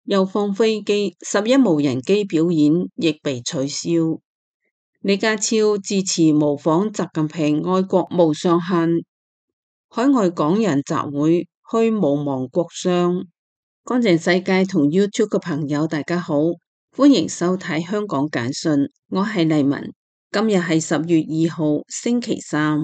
又放飛機，11無人機表演亦被取消。李家超致辭模仿習近平愛國無上限，海外港人集會去無亡國殤。乾淨世界同 YouTube 嘅朋友大家好，歡迎收睇香港簡訊，我係麗文。今日係10月2號星期三。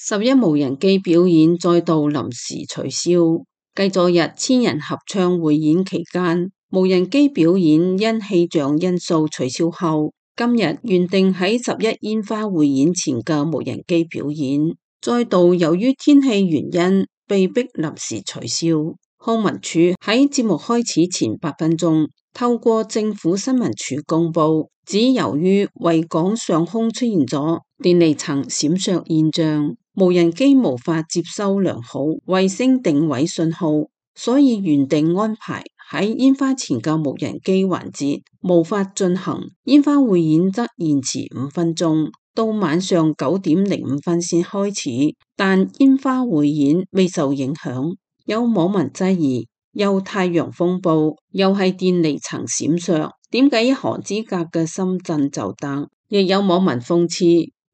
11無人機表演再度臨時取消，繼昨日千人合唱匯演期間，無人機表演因氣象因素取消後，今日原定喺11煙花匯演前嘅無人機表演，再度由於天氣原因被迫臨時取消。康文署喺節目開始前8分鐘，透過政府新聞處公布，指由於維港上空出現咗電離層閃爍現象，無人機無法接收良好衛星定位信號，所以原定安排喺煙花前嘅無人機環節無法進行，煙花匯演則延遲5分鐘，到晚上9點05分先開始，但煙花匯演未受影響。有網民質疑，又太陽風暴，又係電離層閃爍，點解一河之隔嘅深圳就得？亦有網民諷刺，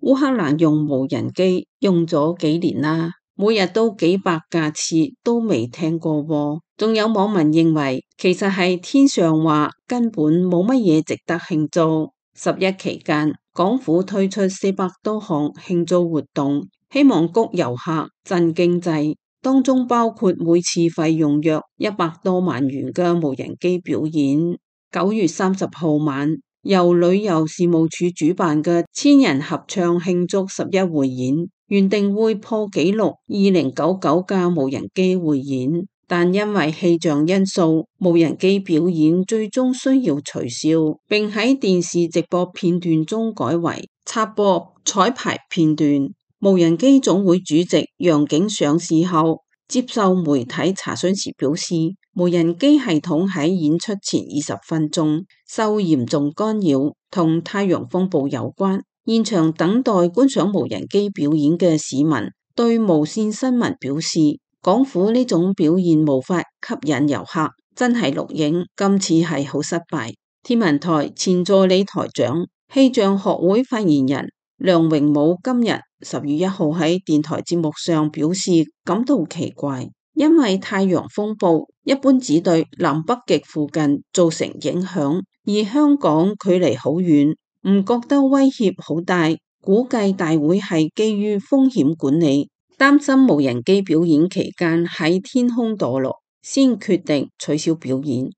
烏克蘭用無人機用咗幾年啦，每日都幾百架次，都未聽過喎。仲有網民認為，其實係天上話根本冇乜嘢值得慶祝。11期間，港府推出400多項慶祝活動，希望谷遊客、振經濟。當中包括每次費用約100多萬元嘅無人機表演。9月30號晚，由旅遊事務處主辦嘅千人合唱慶祝11匯演，原定會破紀錄2099架無人機匯演，但因為氣象因素，無人機表演最終需要取消，並喺電視直播片段中改為插播彩排片段。無人機總會主席楊景上事後接受媒體查詢時表示，無人機系統喺演出前20分鐘受嚴重干擾，同太陽風暴有關。現場等待觀賞無人機表演嘅市民對無線新聞表示，港府呢種表現無法吸引遊客，真係錄影，今次係好失敗。天文台前助理台長、氣象學會發言人梁榮武今日10月1號喺電台節目上表示感到奇怪，因為太陽風暴一般只對南北極附近造成影響，而香港距離好遠，唔覺得威脅好大。估計大會係基於風險管理，擔心無人機表演期間喺天空墮落，先決定取消表演。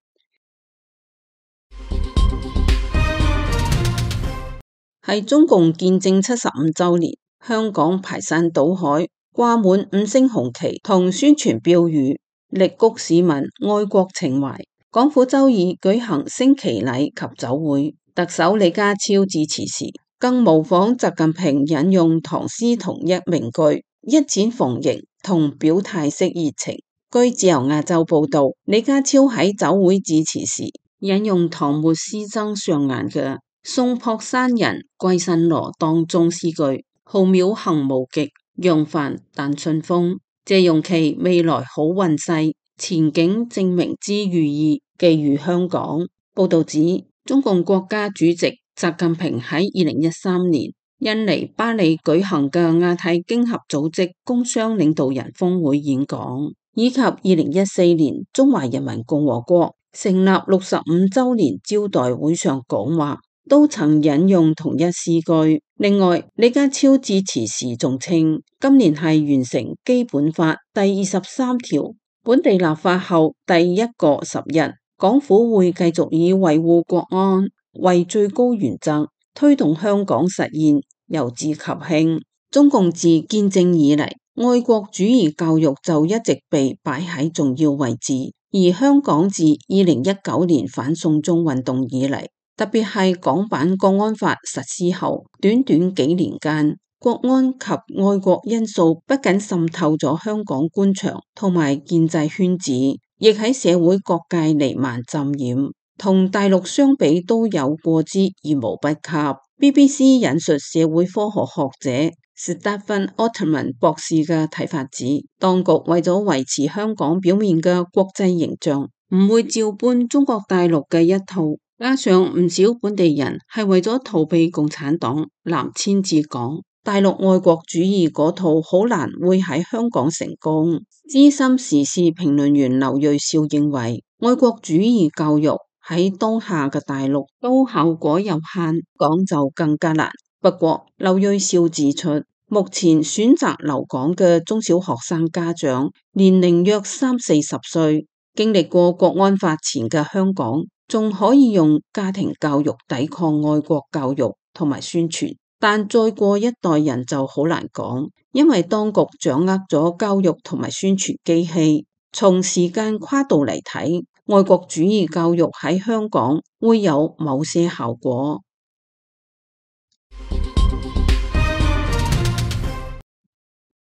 係中共建政75週年，香港排山倒海掛滿5星紅旗同宣傳標語，力谷市民愛國情懷。港府周二舉行升旗禮及酒會，特首李家超致辭時，更模仿習近平引用唐詩同一名句，一展逢迎同表態式熱情。據自由亞洲報道，李家超喺酒會致辭時引用唐末詩僧上顏嘅送樸山人歸新羅當中詩句，浩渺行無極，揚帆但順風，借用其未來好運勢，前景正明之寓意，寄予香港。報道指，中共國家主席習近平喺2013年印尼巴里舉行嘅亞太經合組織工商領導人峰會演講，以及2014年中華人民共和國成立65週年招待會上講話，都曾引用同一詩句。另外，李家超致辭時仲稱，今年係完成基本法第23條本地立法後第一個10日，港府會繼續以維護國安為最高原則，推動香港實現由治及興。中共自建政以嚟，愛國主義教育就一直被擺喺重要位置，而香港自2019年反送中運動以嚟，特別係港版國安法實施後，短短幾年間，國安及愛國因素不僅滲透咗香港官場同埋建制圈子，亦喺社會各界彌漫浸染，同大陸相比都有過之而無不及。BBC 引述社會科學學者史蒂芬·奧特曼博士嘅睇法指，當局為咗維持香港表面嘅國際形象，唔會照搬中國大陸嘅一套，加上唔少本地人係為咗逃避共產黨南遷至港，大陸愛國主義嗰套好難會喺香港成功。資深時事評論員劉銳紹認為，愛國主義教育喺當下嘅大陸都效果有限，港就更加難。不過，劉銳紹指出，目前選擇留港嘅中小學生家長年齡約30-40歲，經歷過國安法前嘅香港，仲可以用家庭教育抵抗愛國教育同埋宣傳，但再過一代人就好難講，因為當局掌握咗教育同埋宣傳機器。從時間跨度嚟睇，愛國主義教育喺香港會有某些效果。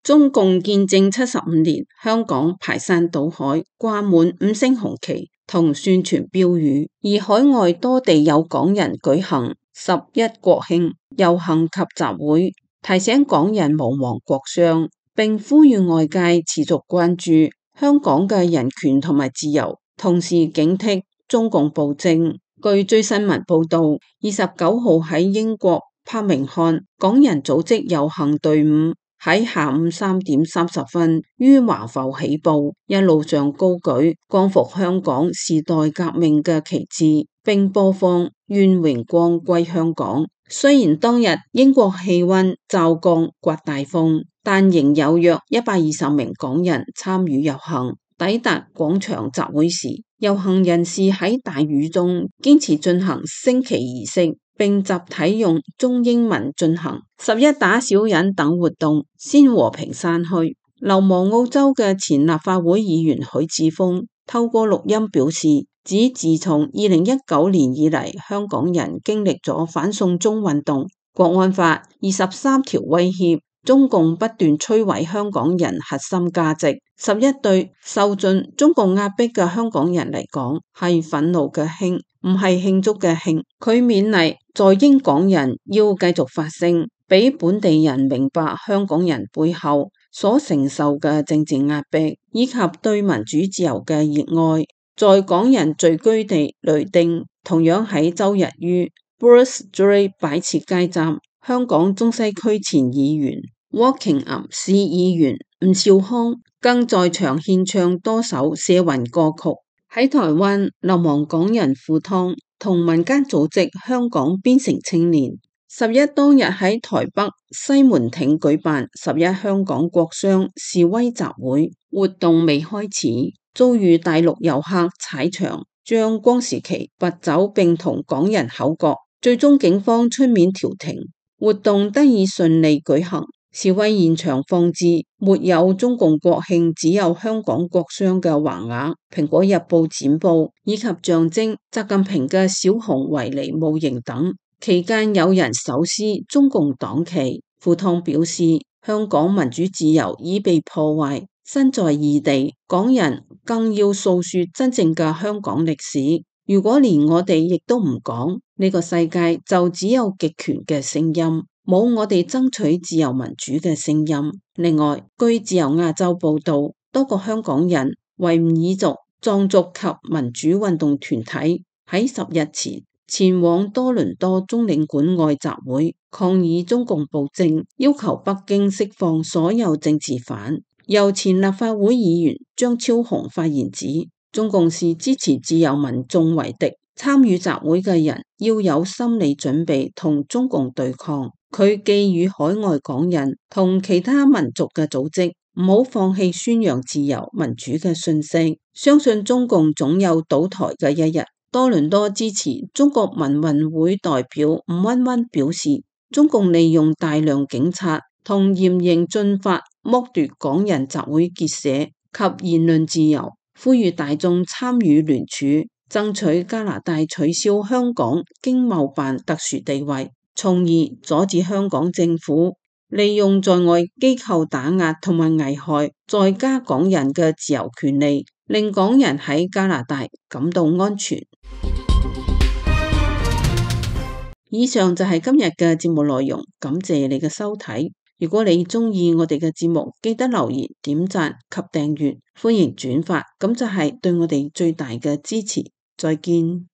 中共建政75年，香港排山倒海掛滿5星紅旗同宣傳標語，而海外多地有港人舉行11國慶遊行及集會，提醒港人勿忘國殤，並呼籲外界持續關注香港嘅人權同埋自由，同時警惕中共暴政。據最新聞報道，29號喺英國柏明翰，港人組織遊行隊伍喺下午3點30分於華埠起步，一路上高舉光復香港時代革命嘅旗幟，並播放願榮光歸香港。雖然當日英國氣溫驟降颳大風，但仍有約120名港人參與遊行。抵達廣場集會時，遊行人士喺大雨中堅持進行升旗儀式，並集體用中英文進行11打小人等活動，先和平散去。流亡澳洲嘅前立法會議員許智峰透過錄音表示，指自從2019年以嚟，香港人經歷咗反送中運動、國安法23條威脅，中共不斷摧毀香港人核心價值。11對受盡中共壓迫嘅香港人嚟講，係憤怒嘅慶，唔係慶祝嘅慶。佢勉勵在英港人要繼續發聲，俾本地人明白香港人背後所承受嘅政治壓迫，以及對民主自由嘅熱愛。在港人聚居地雷丁，同樣喺周日於 Bruce Street 擺設街站，香港中西區前議員Wokingham 市議員吳兆康更在場獻唱多首社運歌曲。喺台灣，流亡港人赴湯同民間組織香港邊城青年11當日喺台北西門町舉辦11香港國殤示威集會，活動未開始，遭遇大陸遊客踩場，將光時旗拔走並同港人口角，最終警方出面調停，活動得以順利舉行。示威現場放置沒有中共國慶，只有香港國殤嘅橫額、蘋果日報剪報以及象徵習近平嘅小熊維尼模型等。期間有人手撕中共黨旗。赴湯表示，香港民主自由已被破壞，身在異地，港人更要訴說真正嘅香港歷史。如果連我哋亦都唔講，呢個世界就只有極權嘅聲音，冇我哋爭取自由民主嘅聲音。另外，據自由亞洲報道，多個香港人、維吾爾族、藏族及民主運動團體喺10日前往多倫多中領館外集會，抗議中共暴政，要求北京釋放所有政治犯。由前立法會議員張超雄發言指，中共是支持自由民眾為敵，參與集會嘅人要有心理準備同中共對抗。佢寄語海外港人同其他民族嘅組織唔好放棄宣揚自由民主嘅訊息，相信中共總有倒台嘅一日。多倫多支持中國民運會代表吳溫溫表示，中共利用大量警察同嚴刑峻法剝奪港人集會結社及言論自由，呼籲大眾參與聯署，爭取加拿大取消香港經貿辦特殊地位，從而阻止香港政府利用在外機構打壓同埋危害在加港人嘅自由權利，令港人喺加拿大感到安全。以上就係今日嘅節目內容，感謝你嘅收睇。如果你鍾意我哋嘅節目，記得留言、點讚及訂閱，歡迎轉發，咁就係對我哋最大嘅支持。再見。